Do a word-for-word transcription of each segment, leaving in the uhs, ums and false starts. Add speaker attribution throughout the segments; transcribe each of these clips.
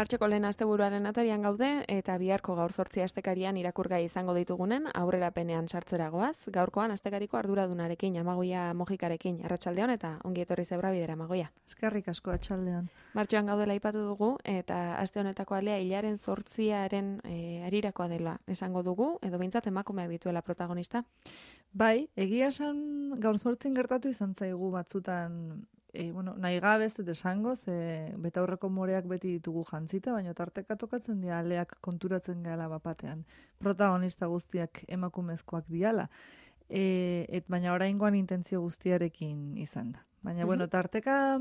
Speaker 1: Martxoko lehen asteburuaren atarian gaude eta biharko gaur zortzi astekarian irakurgai izango ditugunen aurrerapenean sartzeragoaz. Gaurkoan astekariko arduradunarekin, Amagoia Mojikarekin, arratsaldeon eta ongi etorri Zebrabidera, Amagoia.
Speaker 2: Eskerrik asko atxaldean.
Speaker 1: Martxoan gaudela aipatu dugu eta aste honetako alea hilaren zortziaren e, arirakoa dela esango dugu, edo behintzat emakumeak dituela protagonista.
Speaker 2: Bai, egia esan gaur zortzin gertatu izan zaigu batzutan, e, bueno, nahi gabe ez dut esango, ze betaurreko moreak beti ditugu jantzita, baina tarteka tokatzen dira aleak konturatzen gala bapatean. Protagonista guztiak emakumezkoak diala. E, et baina oraingoan intentzio guztiarekin izan da. Baina, mm-hmm. bueno, tarteka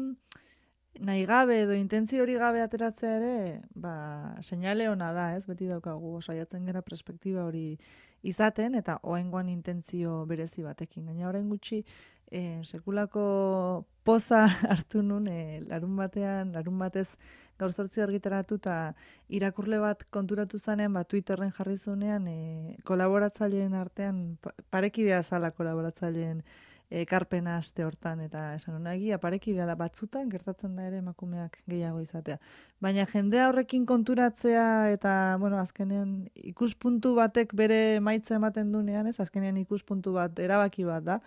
Speaker 2: nahi gabe edo intentzio hori gabe ateratzea ere, ba, seinale ona da, ez? Beti daukagu, osaiatzen gara perspektiba hori izaten, eta oraingoan intentzio berezi batekin. Gaina orain gutxi, e, sekulako poza hartu nun, e, larun batean, larun batez gaur zortzi argitaratu eta irakurle bat konturatu zanean, ba, Twitterren jarri zunean, e, kolaboratzaileen artean, parekidea zala kolaboratzaileen ekarpena aste hortan, eta esan hona egia parekidea da batzutan, gertatzen da ere emakumeak gehiago izatea. Baina jendea horrekin konturatzea eta, bueno, azkenean ikuspuntu batek bere emaitza ematen dunean, ez, azkenean ikuspuntu bat, erabaki bat da,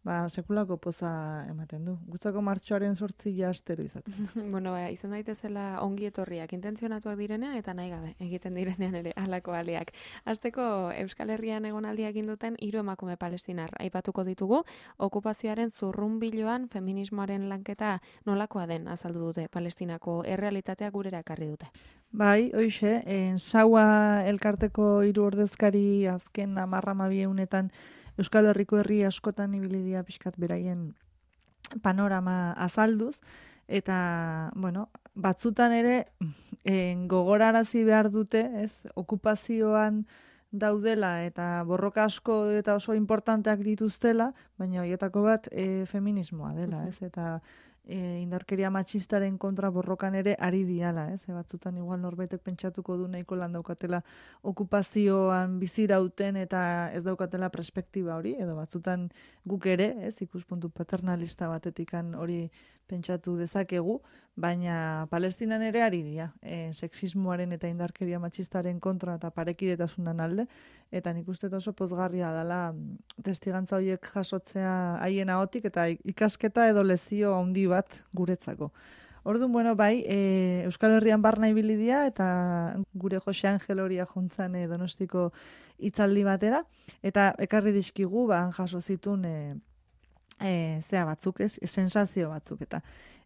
Speaker 2: ba, sekulako poza ematen du. Gutzako martxoaren sortzi astero izatu.
Speaker 1: Bueno, ba, izan daitezela ongi etorriak intentzionatuak direnean eta nahi gabe egiten direnean ere halako aleak. Hasteko Euskal Herrian egonaldia egin duten hiru emakume palestinar aipatuko ditugu, okupazioaren zurrunbiloan feminismoaren lanketa nolakoa den azaldu dute Palestinako errealitatea gurera ekarri dute.
Speaker 2: Bai, hoixe, en Saua elkarteko hiru ordezkari azken hamar hamabi egunetan Euskal Herriko herri askotan ibili dira pixkat beraien panorama azalduz, eta, bueno, batzutan ere en, gogorarazi behar dute, ez, okupazioan daudela eta borroka asko eta oso importanteak dituztela, baina horietako bat e, feminismoa dela, ez, eta e, indarkeria matxistaren kontra borrokan ere ari diala, ez, e, batzutan igual norbaitek pentsatuko du nahiko lan daukatela okupazioan bizirauten eta ez daukatela perspektiba hori, edo batzutan guk ere, ez, ikuspuntu paternalista batetikan hori pentsatu dezakegu, baina Palestinan ere ari dira, e, sexismoaren eta indarkeria matxistaren kontra eta parekidetasunan alde, eta nik uste oso pozgarria dela testigantza horiek jasotzea haien ahotik eta ikasketa edo lezio handi bat guretzako. Orduan, bueno, bai, e, Euskal Herrian barna ibili dira eta gure Jose Angel horia jontzan e, Donostiko hitzaldi batera, eta ekarri dizkigu, ba, jaso zitun e, e, zea batzuk, ez, sensazio batzuk, eta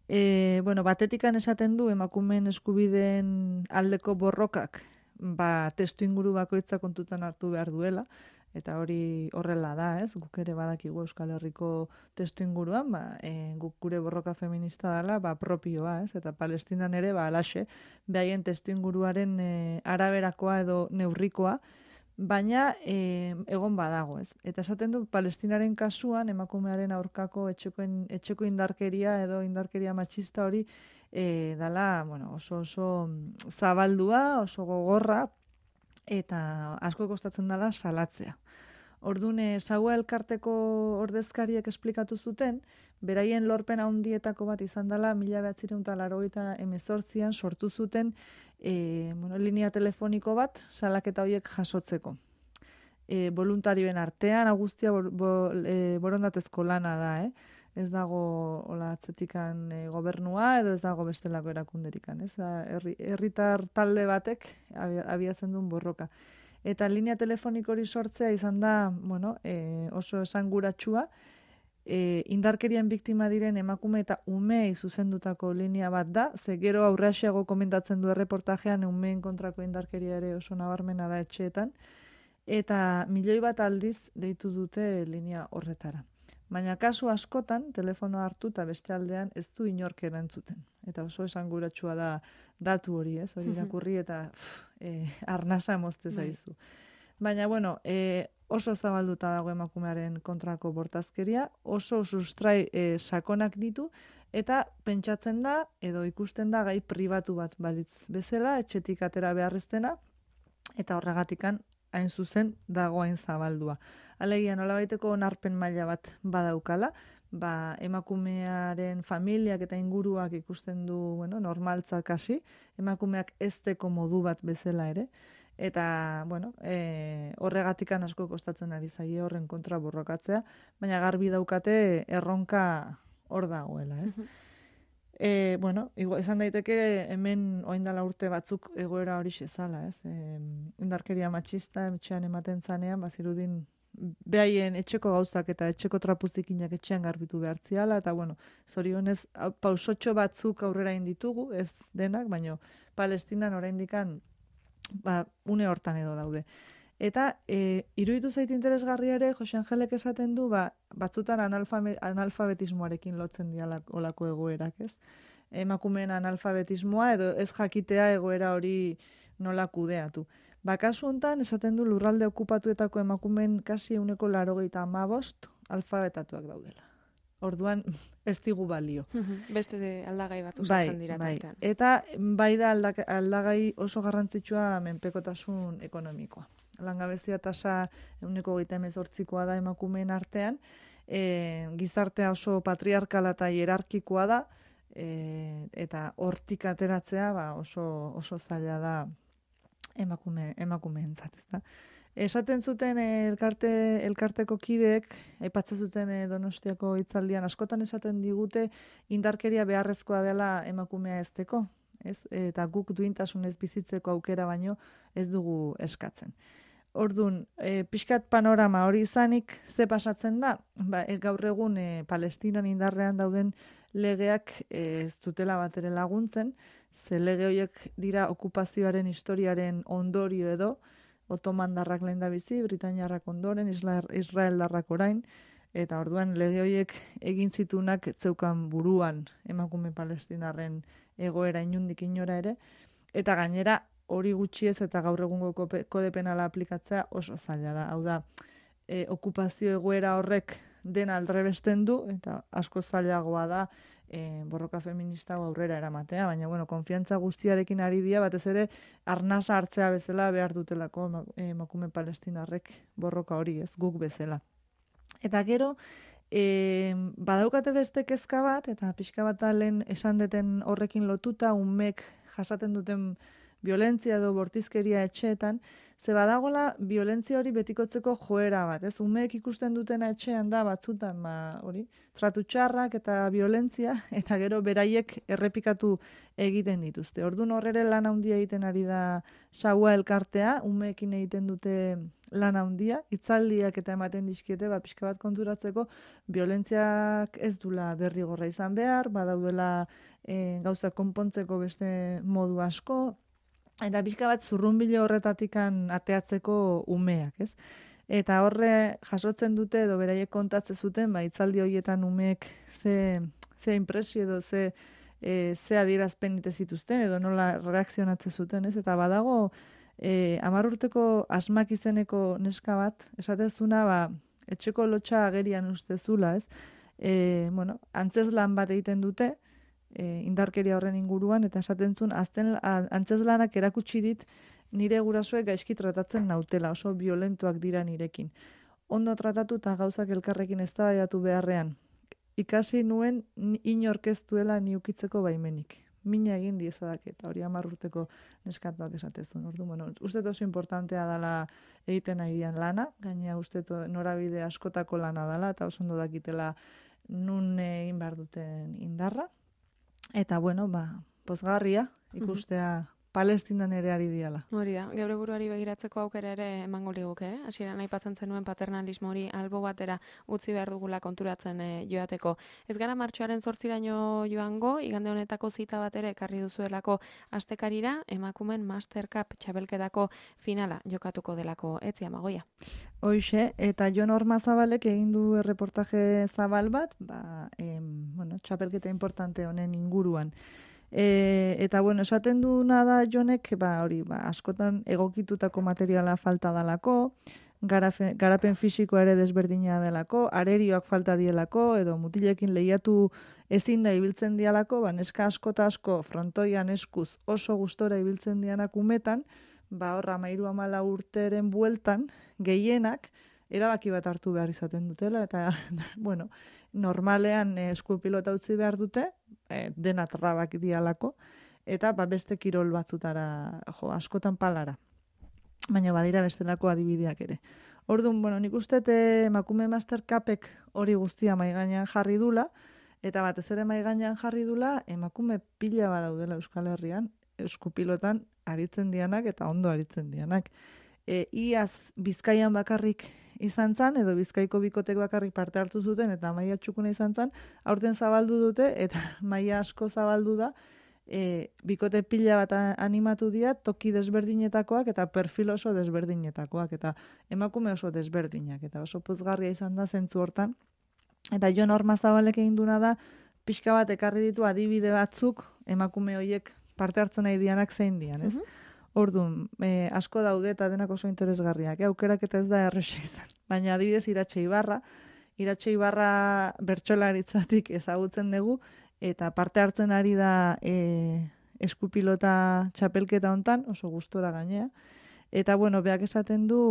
Speaker 2: e, bueno, batetikan esaten du emakumeen eskubideen aldeko borrokak, ba, testu inguru bakoitza kontutan hartu behar duela, eta hori horrela da, ez? Guk ere badakigu Euskal Herriko testu inguruan, ba, e, guk gure borroka feminista dela, ba, propioa, ez? Eta Palestinan ere, ba, alaxe, behaien testu inguruaren e, araberakoa edo neurrikoa, baina e, egon badago, ez? Eta esaten du, Palestinaren kasuan, emakumearen aurkako etxekoen, etxeko indarkeria edo indarkeria matxista hori e, dala, bueno, oso oso zabaldua, oso gogorra, eta asko kostatzen dela salatzea. Orduan, Saua elkarteko ordezkariek esplikatu zuten, beraien lorpen handietako bat izan dela, mila bederatziehun eta laurogeita hemezortzian sortu zuten e, bueno, linea telefoniko bat salaketa horiek jasotzeko. E, voluntarioen artean, guztia bo, bo, e, borondatezko lana da, eh? Ez dago hola atzetikan e, gobernua edo ez dago bestelako erakunderikan, ez? Herri, herritar talde batek abiatzen duen borroka. Eta linea telefoniko hori sortzea izan da, bueno, e, oso esanguratsua, e, indarkerian biktima diren emakume eta umei zuzendutako linea bat da, ze gero aurrexeago komentatzen du erreportajean umeen kontrako indarkeria ere oso nabarmena da etxeetan, eta milioi bat aldiz deitu dute linea horretara. Baina kasu askotan, telefono hartu eta beste aldean ez du inork erantzuten. Eta oso esanguratsua da datu hori, ez? Hori irakurri eta pff, e, arnasa mozte zaizu. Baina, bueno, e, oso zabalduta dago emakumearen kontrako bortazkeria, oso sustrai e, sakonak ditu, eta pentsatzen da, edo ikusten da gai pribatu bat balitz bezala, etxetik atera beharreztena, eta horregatikan hain zuzen dagoain zabaldua. Alegia nolabaiteko onarpen maila bat badaukala, ba, emakumearen familiak eta inguruak ikusten du, bueno, normaltzak hasi, emakumeak ezteko modu bat bezala ere, eta, bueno, e, horregatikan asko kostatzen ari zaie horren kontra borrokatzea, baina garbi daukate erronka hor dagoela, ez? E, bueno, igual, esan daiteke hemen oindala urte batzuk egoera hori zala, ez? E, indarkeria matxista, etxean ematen zanean, bazirudin behaien etxeko gauzak eta etxeko trapuzikinak etxean garbitu behartziala, eta bueno, zorionez pausotxo batzuk aurrera inditugu, ez denak, baino Palestinan oraindikan ba, une hortan edo daude. Eta e, iruditu zait interesgarria ere, Jose Angelek esaten du, ba, batzutan analfabe, analfabetismoarekin lotzen dialak olako egoerak, ez? Emakumeen analfabetismoa edo ez jakitea egoera hori nola kudeatu. Ba, kasu hontan, esaten du lurralde okupatuetako emakumeen kasi euneko larogeita hamabost alfabetatuak daudela. Orduan, ez digu balio.
Speaker 1: Beste aldagai bat usatzen dira
Speaker 2: bai.
Speaker 1: tartean.
Speaker 2: Eta bai da aldagai oso garrantzitsua menpekotasun ekonomikoa. Langabezia tasa euneko hogeita hemezortzikoa da emakumeen artean, e, gizartea oso patriarkala eta hierarkikoa da, e, eta hortik ateratzea ba, oso, oso zaila da emakume, emakumeentzat, ezta? Esaten zuten elkarte, elkarteko kideek, aipatzen zuten Donostiako hitzaldian, askotan esaten digute indarkeria beharrezkoa dela emakumea ezteko, ez? Eta guk duintasunez bizitzeko aukera baino ez dugu eskatzen. Ordun, e, pixkat panorama hori izanik, ze pasatzen da? Ba, e, gaur egun e, Palestinan indarrean dauden legeak e, ez dutela bat ere laguntzen, ze lege horiek dira okupazioaren historiaren ondorio edo, otomandarrak lehendabizi, Britainiarrak ondoren, Israeldarrak orain, eta orduan lege horiek egin zitunak zeukan buruan emakume palestinarren egoera inundik inora ere, eta gainera hori gutxiez eta gaur egungo kode penala aplikatzea oso zaila da. Hau da, e, okupazio egoera horrek dena aldrebesten du, eta asko zailagoa da e, borroka feminista aurrera eramatea, baina bueno, konfiantza guztiarekin ari dira, batez ere arnasa hartzea bezala behar dutelako emakume palestinarrek borroka hori, ez guk bezala. Eta gero, e, badaukate beste kezka bat, eta pixka bat lehen esan deten horrekin lotuta, umek jasaten duten violentzia edo bortizkeria etxeetan, ze badagola violentzia hori betikotzeko joera bat, ez? Umeek ikusten dutena etxean da batzutan, ba, hori, tratu txarrak eta violentzia, eta gero beraiek errepikatu egiten dituzte. Ordun horrere lan handia egiten ari da Saua elkartea, umeekin egiten dute lan handia, hitzaldiak eta ematen dizkiete, ba, pixka bat konturatzeko, violentziak ez dula derrigorra izan behar, badaudela e, gauza konpontzeko beste modu asko, eta pixka bat zurrunbilo horretatikan ateatzeko umeak, ez? Eta horre jasotzen dute edo beraiek kontatzen zuten, ba, hitzaldi horietan umeek ze, ze impresio edo ze, e, ze adierazpen ite zituzten edo nola reakzionatzen zuten, ez? Eta badago e, hamar urteko asmak izeneko neska bat, esatezuna, ba, etxeko lotxa agerian ustezula, ez? E, bueno, antzezlan bat egiten dute, E, indarkeria horren inguruan, eta esaten zuen, azten antzeslanak erakutsi dit nire gurasoek gaizki tratatzen nautela, oso violentoak dira nirekin. Ondo tratatu eta gauzak elkarrekin eztabaidatu beharrean. Ikasi nuen inork ez duela ni ukitzeko baimenik. Mina egin diezadak eta hori hamar urteko neskatuak esatezun. Ordu, bueno, uste oso importantea dela egiten nahi dian lana, gaina uste norabide askotako lana dela, eta oso ondo dakitela nun egin behar duten indarra. Eta, bueno, ba, pozgarria ikustea Palestinan ere ari diala.
Speaker 1: Hori da, geure buruari begiratzeko aukera ere emango liguke, eh? Hasieran aipatzen zenuen paternalismo hori albo batera utzi behar dugula konturatzen eh, joateko. Ez gara martxoaren zortziraino joango, igande honetako zita bat ere ekarri duzuelako astekarira, emakumen Master Cup txapelketako finala jokatuko delako, etzi Amagoia.
Speaker 2: Hoixe, eta Jon Ormazabalek egin du erreportaje zabal bat, ba, em, bueno, txapelketa importante honen inguruan. E, eta bueno, esaten duna da Jonek, ba, hori, ba, askotan egokitutako materiala falta dalako, garafe, garapen fisikoa ere desberdina delako, arerioak falta dielako, edo mutilekin lehiatu ezin da ibiltzen dialako, ba, neska asko eta asko frontoian eskuz oso gustora ibiltzen dianak umetan, ba, horra mairu amala urteren bueltan, gehienak, erabaki bat hartu behar izaten dutela, eta, bueno, normalean e, eskupilota utzi behar dute, e, dena trabak dialako, eta ba, beste kirol batzutara, jo, askotan palara. Baina badira bestelako adibideak ere. Orduan, bueno, nik uste emakume Master Cupek hori guztia mai gainean jarri dula, eta batez ere mai gainean jarri dula emakume pila badaudela Euskal Herrian, eskupilotan aritzen dianak eta ondo aritzen dianak. E, iaz Bizkaian bakarrik izan zan, edo Bizkaiko bikotek bakarrik parte hartu zuten, eta maila txukuna izan zan, aurten zabaldu dute, eta maila asko zabaldu da, e, bikote pila bat animatu dira, toki desberdinetakoak eta perfil oso desberdinetakoak, eta emakume oso desberdinak, eta oso pozgarria izan da zentzu hortan. Eta Jon Ormazabalek egin duna da, pixka bat ekarri ditu adibide batzuk, emakume horiek parte hartzen nahi dianak zein dian, ez? Mm-hmm. Orduan, e, asko daude eta denak oso interesgarriak, e, aukerak eta ez da erresa izan. Baina adibidez Iratxe Ibarra, Iratxe Ibarra bertsolaritzatik ezagutzen dugu, eta parte hartzen ari da e, eskupilota txapelketa hontan, oso gustora gainea. Eta bueno, beak esaten du,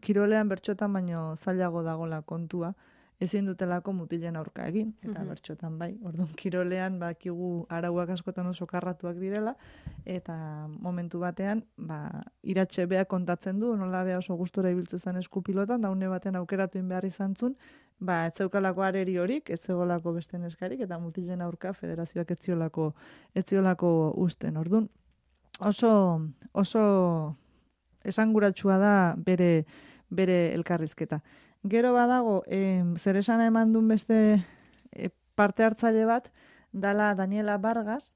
Speaker 2: kirolean bertxotan baino zailago dagola kontua, ezin dutelako mutilen aurka egin, eta mm-hmm. bertxotan bai. Orduan, kirolean bakigu arauak askotan oso karratuak direla, eta momentu batean, ba, Iratxe beak kontatzen du, nola bea oso gustora ibiltzen zen eskupilotan, da une batean aukeratu behar izan zun, ba, ez zeukalako areri horik, ez zegoelako beste neskarik, eta mutilen aurka federazioak ez ziolako, ez ziolako usten. Orduan, oso, oso esanguratsua da bere, bere elkarrizketa. Gero badago, eh, zer esana eman duen beste eh, parte hartzaile bat, dala Daniela Vargas,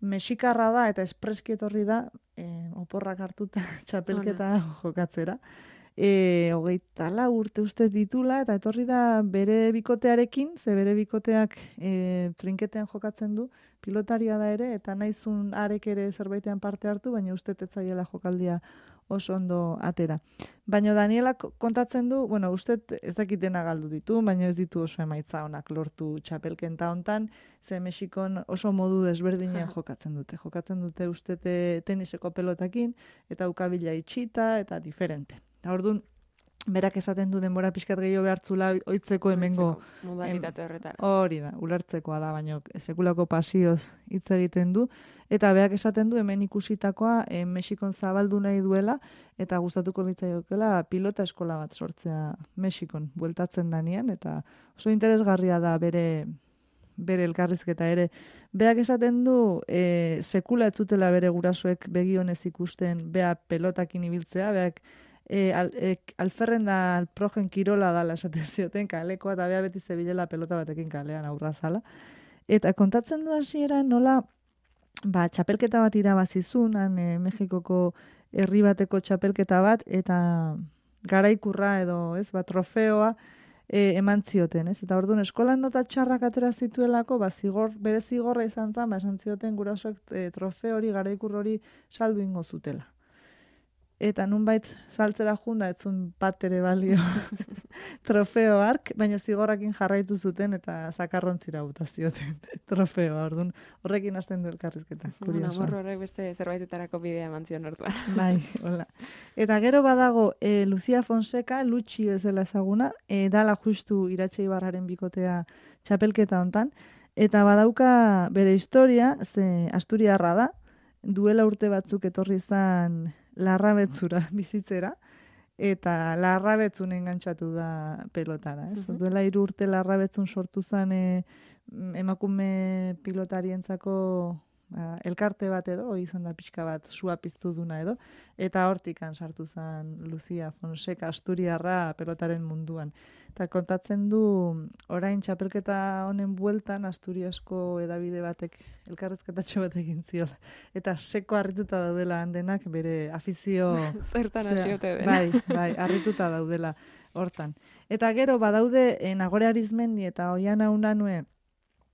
Speaker 2: mexikarra da eta espreski etorri da, eh, oporrak hartuta txapelketa jokatzera. E, hogeita lau urte uste ditula, eta etorri da bere bikotearekin, ze bere bikoteak e, trinketean jokatzen du, pilotaria da ere, eta naizun arek ere zerbaitean parte hartu, baina uste tetzaiela jokaldia oso ondo atera. Baina Daniela kontatzen du, bueno, uste ez dakitena galdu ditu, baina ez ditu oso emaitza onak lortu txapelkenta hontan, ze Mexikon oso modu desberdinen jokatzen dute. Jokatzen dute uste teniseko pelotakin, eta ukabila itxita, eta diferente. Orduan, berak esaten du denbora pixkat gehiago behartzula oitzeko hemengo...
Speaker 1: Modalitate horretara.
Speaker 2: Hori da, ulertzekoa da, baina sekulako pasioz hitz egiten du. Eta berak esaten du hemen ikusitakoa e, Mexikon zabaldu nahi duela, eta gustatuko litzaiokeela pilota eskola bat sortzea Mexikon bueltatzen danean, eta oso interesgarria da bere... bere elkarrizketa ere. Beak esaten du, e, sekula ez zutela bere gurasoek begionez ikusten, bea pelotakin ibiltzea, beak e, al, e, alferren da alprogen kirola dala esaten zioten kalekoa, eta bea beti zebilela pelota batekin kalean aurra zala. Eta kontatzen du hasieran nola, ba, txapelketa bat irabazizun, han e, Mexikoko herri bateko txapelketa bat, eta garaikurra edo, ez, ba, trofeoa, E, eman zioten, ez? Eta orduan eskolan nota txarrak atera zituelako, ba, zigor, bere zigorra izan zen, ba, esan zioten gurasoek e, trofeo hori, garaikur hori saldu ingo zutela. Eta nunbait saltzera junda, ez zuen bat ere balio trofeo hark, baina zigorrakin jarraitu zuten eta zakarrontzira buta zioten trofeoa, orduan horrekin hasten du elkarrizketa.
Speaker 1: Bueno, morro horrek beste zerbaitetarako bidea eman zion orduan.
Speaker 2: Bai, hola. Eta gero badago e, Lucia Fonseca, Lutxi bezala ezaguna, e, dala justu Iratxe Ibarraren bikotea txapelketa hontan, eta badauka bere historia, ze Asturiarra da, duela urte batzuk etorri zan Larrabetzura bizitzera, eta Larrabetzun engantzatu da pelotara. Ez? Uh-huh. Duela hiru urte Larrabetzun sortu zen e, emakume pilotarientzako ba, elkarte bat edo, izan da pixka bat sua piztu duna edo, eta hortikan sartu zen Lucia Fonseca Asturiarra pelotaren munduan. Eta kontatzen du, orain txapelketa honen bueltan Asturiasko edabide batek elkarrezketatxo bat egin ziola. Eta seko harrituta daudela handenak bere afizio...
Speaker 1: Zertan hasiote den.
Speaker 2: Bai, bai, harrituta daudela hortan. Eta gero badaude eh, Nagore Arizmendi eta Oiana Unanue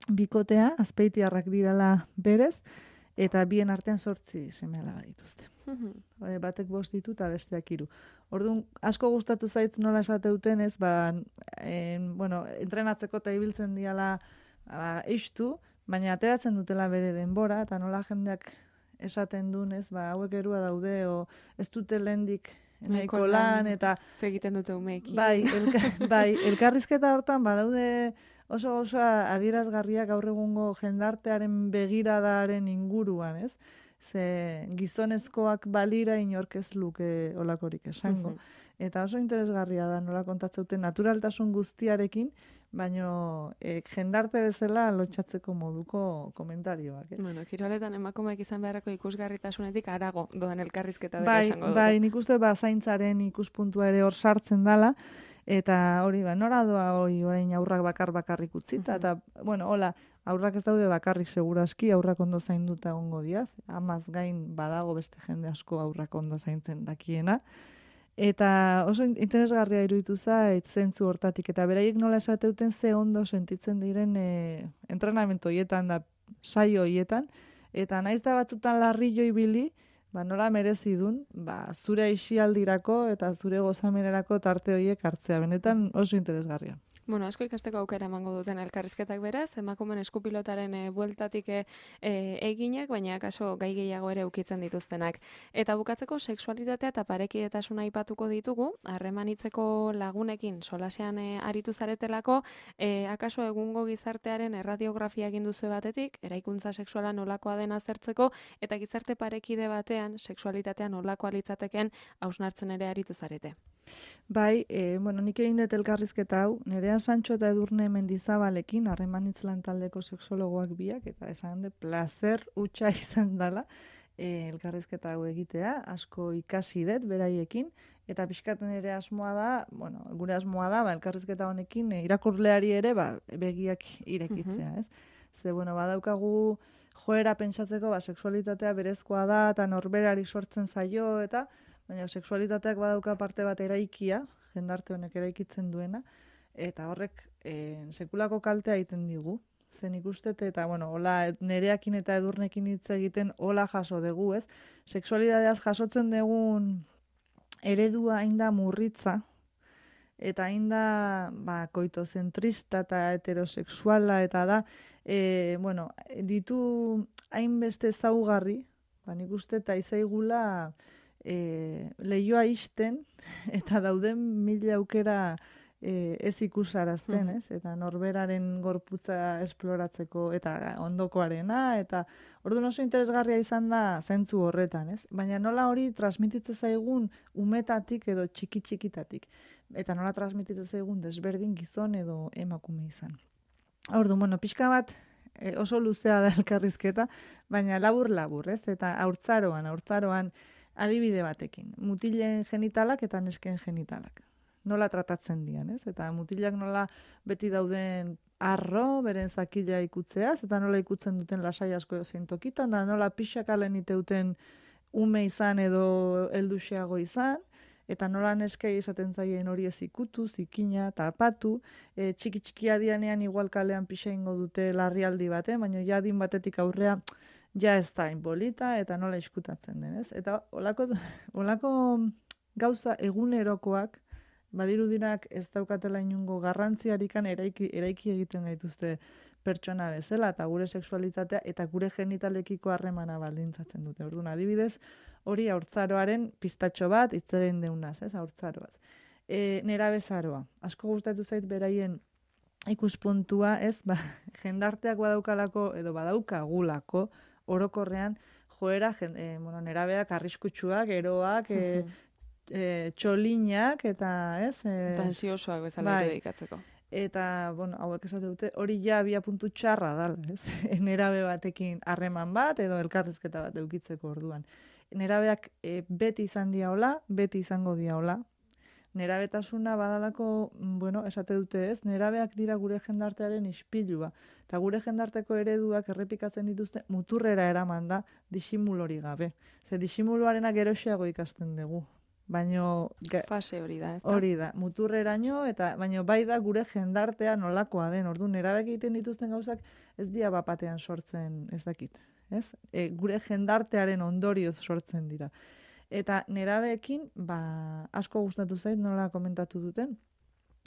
Speaker 2: bikotea, azpeitiarrak dirala berez, eta bien artean sortzi seme-alaba dituzte. Uh-huh. Batek bost ditu eta besteak hiru. Orduan, asko gustatu zaitz nola esate duten ez, ba, en, bueno, entrenatzeko eta ibiltzen diala ba, eistu, baina ateratzen dutela bere denbora, eta nola jendeak esaten duen ez, ba, hauek erua daude, o ez dute lehendik nahiko lan, eta...
Speaker 1: Zegiten dute umeekin.
Speaker 2: Bai, elka, bai, elkarrizketa hortan, badaude oso oso adierazgarriak gaur egungo jendartearen begiradaren inguruan, ez? Ze gizonezkoak balira inork ez luke olakorik esango. Eta oso interesgarria da nola kontatzeuten naturaltasun guztiarekin, baino eh, jendarte bezala lotxatzeko moduko komentarioak. Eh?
Speaker 1: Bueno, kiroletan emakumeak izan beharreko ikusgarritasunetik arago doan elkarrizketa dela
Speaker 2: bai,
Speaker 1: esango dugu.
Speaker 2: Bai, nik uste ba, zaintzaren ikuspuntua ere hor sartzen dala, eta hori ba, nora doa hori orain aurrak bakar bakarrik utzita, eta, bueno, hola, aurrak ez daude bakarrik seguraski, aurrak ondo zainduta egongo diaz, amaz gain badago beste jende asko aurrak ondo zaintzen dakiena, eta oso interesgarria iruditu zait zentzu hortatik, eta beraiek nola esateuten ze ondo sentitzen diren e, entrenamentu hoietan da, saio hoietan, eta naiz da batzutan larrillo ibili, ba, nola merezi dun, ba, zure aisialdirako eta zure gozamenerako tarte horiek hartzea. Benetan oso interesgarria.
Speaker 1: Bueno, asko ikasteko aukera emango duten elkarrizketak beraz, emakumen eskupilotaren e, bueltatik e, eginak, baina kaso gai gehiago ere ukitzen dituztenak. Eta bukatzeko sexualitatea eta parekidetasuna aipatuko ditugu, harremanitzeko lagunekin solasean e, aritu zaretelako, e, akaso egungo gizartearen erradiografia egin duzu batetik, eraikuntza sexuala nolakoa den aztertzeko, eta gizarte parekide batean sexualitatea nolakoa litzateken hausnartzen ere aritu zarete.
Speaker 2: Bai, e, bueno, nik egin dut elkarrizketa hau, Nerea Santxo eta Edurne Mendizabalekin, harremanitz lan taldeko sexologoak biak, eta esan de placer utxa izan dela e, elkarrizketa hau egitea, asko ikasi dut beraiekin, eta pixkaten ere asmoa da, bueno, gure asmoa da, ba, elkarrizketa honekin e, irakurleari ere ba, begiak irekitzea, ez? Ze, bueno, badaukagu joera pentsatzeko, ba, sexualitatea berezkoa da, eta norberari sortzen zaio, eta baina sexualitateak badauka parte bat eraikia, jendarte honek eraikitzen duena, eta horrek e, sekulako kaltea egiten digu. Zen ikustet, eta bueno, hola Nereakin eta Edurnekin hitz egiten hola jaso dugu, ez? Sexualitateaz jasotzen dugun eredua hain da murritza, eta hain da ba, koitozentrista eta heterosexuala, eta da, e, bueno, ditu hainbeste zaugarri, ba, nik uste eta izaigula E, lehioa isten eta dauden mila aukera e, ez ikusarazten, ez? Eta norberaren gorputza esploratzeko eta ondokoarena, eta orduan oso interesgarria izan da zentzu horretan, ez? Baina nola hori transmititzen zaigun umetatik edo txiki-txikitatik. Eta nola transmititzen zaigun desberdin gizon edo emakume izan. Orduan, bueno, pixka bat e, oso luzea da elkarrizketa, baina labur-labur, ez? Eta haurtzaroan, haurtzaroan adibide batekin, mutilen genitalak eta nesken genitalak. Nola tratatzen dian, ez? Eta mutilak nola beti dauden arro, beren zakila ikutzeaz, eta nola ikutzen duten lasai asko zein tokitan, da nola pixakalen iteuten ume izan edo helduxeago izan, eta nola neskei esaten zaien hori ez ikutu, zikina, tapatu, e, txiki-txikia dianean igual kalean pixa ingo dute larrialdi batean, baina jadin batetik aurrea ja ez da inbolita, eta nola iskutatzen den, ez? Eta olako, olako gauza egunerokoak, badirudinak ez daukatela inungo garrantziarikan eraiki, eraiki egiten gaituzte pertsona bezala, eta gure sexualitatea eta gure genitalekiko harremana baldintzatzen dute. Orduan, adibidez, hori haurtzaroaren pistatxo bat, itzeren deunaz, ez, haurtzaroaz. E, nerabezaroa, asko gustatu zait beraien ikuspuntua, ez, ba, jendarteak badaukalako, edo badaukagulako, orokorrean, joera, jen, e, bueno, nerabeak arriskutsuak, eroak, e, e, txolinak, eta, ez? E,
Speaker 1: eta ansiosoak bezala bai. Dedikatzeko.
Speaker 2: Eta, bueno, hauek esate dute, hori ja abia puntu txarra dala, ez? Nerabe batekin harreman bat, edo elkarrizketa bat eukitzeko orduan. Nerabeak e, beti izan diaola, beti izango diaola. Nerabetasuna badalako, bueno, esate dute ez, nerabeak dira gure jendartearen ispilua. Eta gure jendarteko ereduak errepikatzen dituzte muturrera eraman da disimulori gabe. Ze disimuluarena geroxeago ikasten dugu. Baino,
Speaker 1: fase hori da, ez da?
Speaker 2: Hori da, muturreraino, eta baino bai da gure jendartea nolakoa den. Ordu nerabeak egiten dituzten gauzak ez dira bapatean sortzen ez dakit. Ez? E, gure jendartearen ondorioz sortzen dira. Eta nerabeekin, ba, asko gustatu zait nola komentatu duten,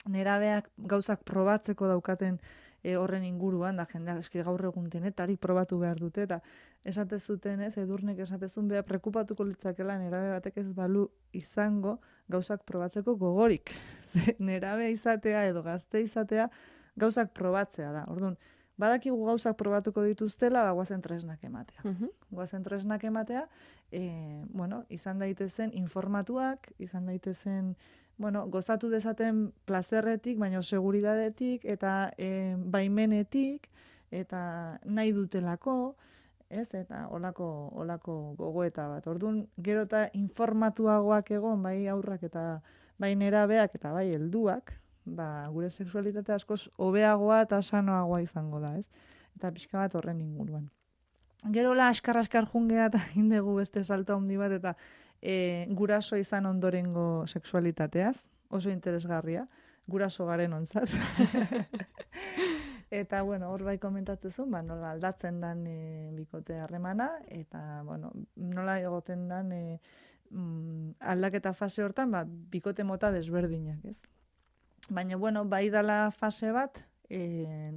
Speaker 2: nerabeak gauzak probatzeko daukaten e, horren inguruan, da jendeak eski gaur egun denetarik probatu behar dute, eta esate zuten, ez, edurnek esatezun beha prekupatuko litzakela nerabe batek ez balu izango gauzak probatzeko gogorik. Nerabe izatea edo gazte izatea gauzak probatzea da. Orduan, badakigu gauzak probatuko dituztela, ba, guazen tresnak ematea.
Speaker 1: Mhm.
Speaker 2: Guazen tresnak ematea, e, bueno, izan daitezen informatuak, izan daitezen, bueno, gozatu dezaten plazerretik, baina seguridadetik, eta e, baimenetik, eta nahi dutelako, ez, eta olako, olako gogoeta bat. Orduan, gero eta informatuagoak egon, bai aurrak eta bai nerabeak eta bai helduak, ba, gure sexualitate askoz hobeagoa eta sanoagoa izango da, ez? Eta pixka bat horren inguruan. Gerola askar-askar jungea eta indegu beste salto handi bat, eta e, guraso izan ondorengo sexualitateaz, oso interesgarria, guraso garen ontzat. Eta, bueno, hor bai komentatzezun, ba, nola aldatzen dan e, bikote harremana, eta, bueno, nola egoten dan e, mm, aldaketa fase hortan, ba, bikote mota desberdinak, ez? Baina, bueno, bai dala fase bat, e,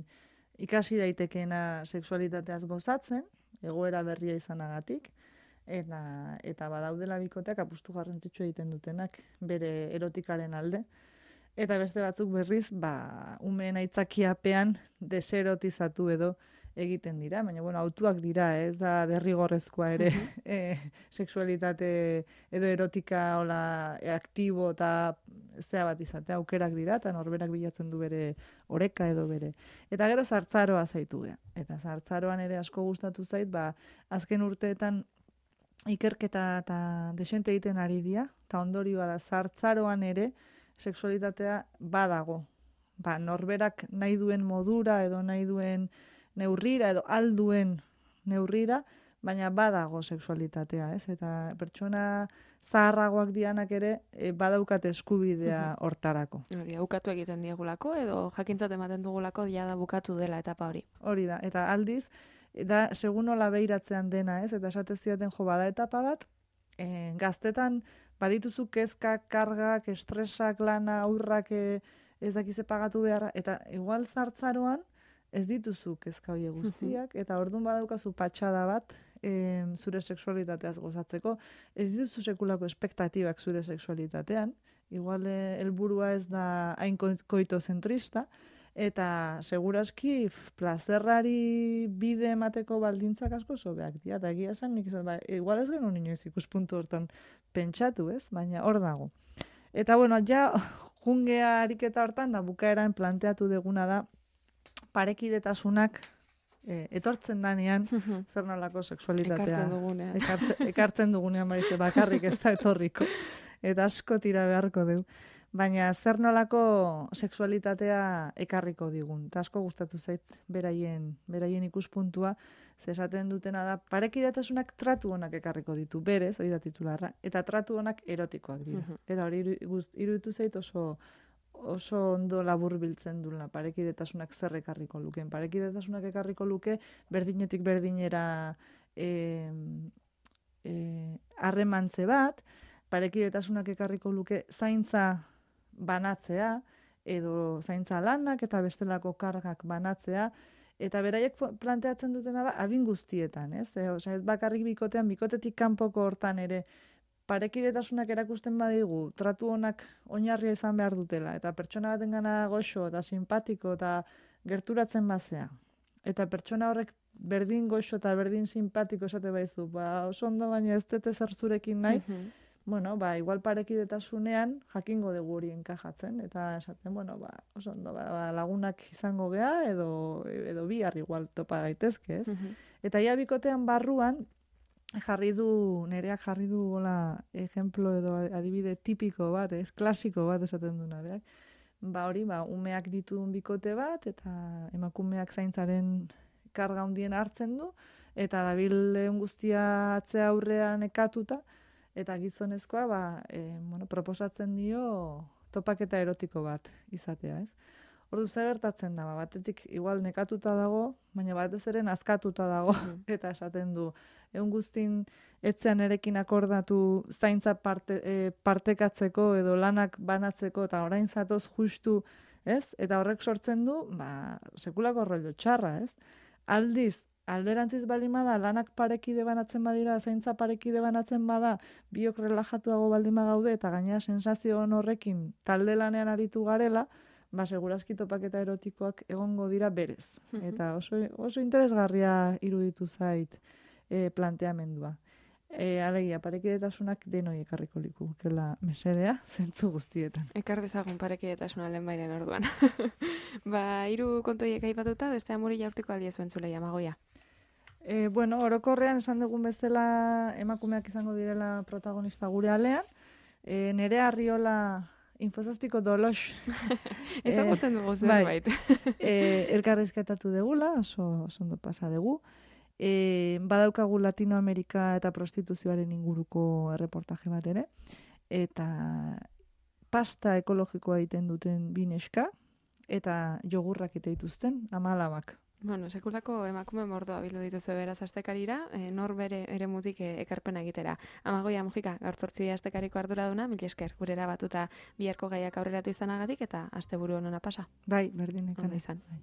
Speaker 2: ikasi daitekeena sexualitateaz gozatzen, egoera berria izanagatik, eta, eta badaudela bikoteak apustu garrantzitsua egiten dutenak bere erotikaren alde. Eta beste batzuk berriz, ba, umeen aitzakiapean deserotizatu edo egiten dira. Baina, bueno, autuak dira, ez da derrigorrezkoa ere e, sexualitate edo erotika hola aktibo eta zea bat izatea aukerak dira, eta norberak bilatzen du bere oreka edo bere. Eta gero zartzaroa zaitu gea. Eta zartzaroan ere asko gustatu zait, ba, azken urteetan ikerketa eta desente egiten ari dira, eta ondorioa da zartzaroan ere sexualitatea badago. Ba, norberak nahi duen modura edo nahi duen neurrira edo alduen neurrira, baina badago sexualitatea, ez? Eta pertsona zaharragoak dianak ere e, badaukate eskubidea hortarako.
Speaker 1: Hori da, bukatu egiten diegulako edo jakintzat ematen dugulako ja da bukatu dela etapa hori.
Speaker 2: Hori da, eta aldiz, da segun nola behiratzean dena, ez? Eta esate zidaten jo bada etapa bat, e, gaztetan badituzu kezkak, kargak, estresak, lana, aurrak e, ez dakize pagatu beharra, eta igual zartzaroan ez dituzu kezka horiek guztiak, eta orduan badaukazu patxada bat e, zure sexualitateaz gozatzeko, ez dituzu sekulako espektatibak zure sexualitatean, igual helburua ez da hain koitozentrista, eta seguraski plazerrari bide emateko baldintzak asko sobeak dira, eta egia esan nik esan, ba, igual ez genuen inoiz ikuspuntu hortan pentsatu, ez? Baina hor dago. Eta bueno, ja jungea ariketa hortan da bukaeran planteatu deguna da parekidetasunak e, etortzen danean zer nolako sexualitatea.
Speaker 1: Ekartzen dugunean.
Speaker 2: Ekartzen, ekartzen dugunean baize bakarrik ez da etorriko. Eta asko tira beharko dugu. Baina zer nolako sexualitatea ekarriko digun. Eta asko gustatu zait beraien, beraien ikuspuntua, ze esaten dutena da, parekidetasunak tratu honak ekarriko ditu, berez, hori da titularra, eta tratu honak erotikoak dira. Uh-huh. Eta hori iruditu zait oso, oso ondo labur biltzen duela, parekidetasunak zer ekarriko luke. Parekidetasunak ekarriko luke, berdinetik berdinera harremantze e, e, bat, parekidetasunak ekarriko luke zaintza banatzea, edo zaintza lanak eta bestelako kargak banatzea, eta beraiek planteatzen dutena da adin guztietan, ez? E, osea, ez bakarrik bikotean, bikotetik kanpoko hortan ere, parekidetasunak erakusten badigu, tratu honak oinarria izan behar dutela, eta pertsona batengana goxo eta simpatiko eta gerturatzen bazea. Eta pertsona horrek berdin goxo eta berdin simpatiko esate baizu, ba, oso ondo baina ez dute zer zurekin nahi, bueno, ba, igual parekidetasunean jakingo dugu hori enkajatzen, eta esaten, bueno, ba, oso ondo, ba, ba, lagunak izango gea, edo, edo bihar igual topa gaitezke, ez? Uh-huh. Eta ia bikotean barruan, jarri du, nereak jarri du, gola, ejemplo edo adibide tipiko bat, ez, klasiko bat esaten duna, beak. Ba, hori, ba, umeak dituen bikote bat, eta emakumeak zaintzaren karga hundien hartzen du, eta dabil guztia atzea aurrean ekatuta, eta gizonezkoa ba, e, bueno, proposatzen dio topaketa erotiko bat izatea, ez? Ordu zer gertatzen da, batetik igual nekatuta dago, baina batez ere nazkatuta dago, eta esaten du, egun guztin etzean erekin akordatu zaintza parte, e, partekatzeko edo lanak banatzeko, eta orain zatoz justu, ez? Eta horrek sortzen du, ba, sekulako rollo txarra, ez? Aldiz, alderantziz baldin bada, lanak parekide banatzen badira, zaintza parekide banatzen bada, biok relajatuago baldin badaude, eta gainera sensazio horrekin talde lanean aritu garela, ba, segurazki topaketa erotikoak egongo dira berez. Eta oso, oso interesgarria iruditu zait e, planteamendua. E, alegia, parekidetasunak denoi ekarriko likukela mesedea, zentzu guztietan.
Speaker 1: Ekar dezagun parekidetasuna lehen bairen orduan. Ba, hiru kontoiek aipatuta, beste amuri jaurtiko aldia zuen zulei, Amagoia.
Speaker 2: E, bueno, orokorrean esan dugun bezala emakumeak izango direla protagonista gure alean. E, Nerea Arriola infozazpiko dolos.
Speaker 1: Ezagutzen dugu zerbait.
Speaker 2: E, elkarrizketatu degula, oso, oso ondo pasa dugu. E, badaukagu Latinoamerika eta prostituzioaren inguruko erreportaje bat ere. Eta pasta ekologikoa egiten duten bineska, eta jogurrak ite dituzten, amalabak.
Speaker 1: Bueno, sekulako emakume mordoa bildu dituzu beraz astekarira, e, nor bere eremutik e, ekarpena egitera. Amagoia Mujika, gaur zortzi astekariko arduraduna, mil esker, gurera batuta biharko gaiak aurreratu izanagatik eta asteburu honona pasa.
Speaker 2: Bai, berdin ekan.
Speaker 1: Ondo izan. Bai.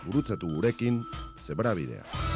Speaker 3: Gurutzatu gurekin, Zebrabidea.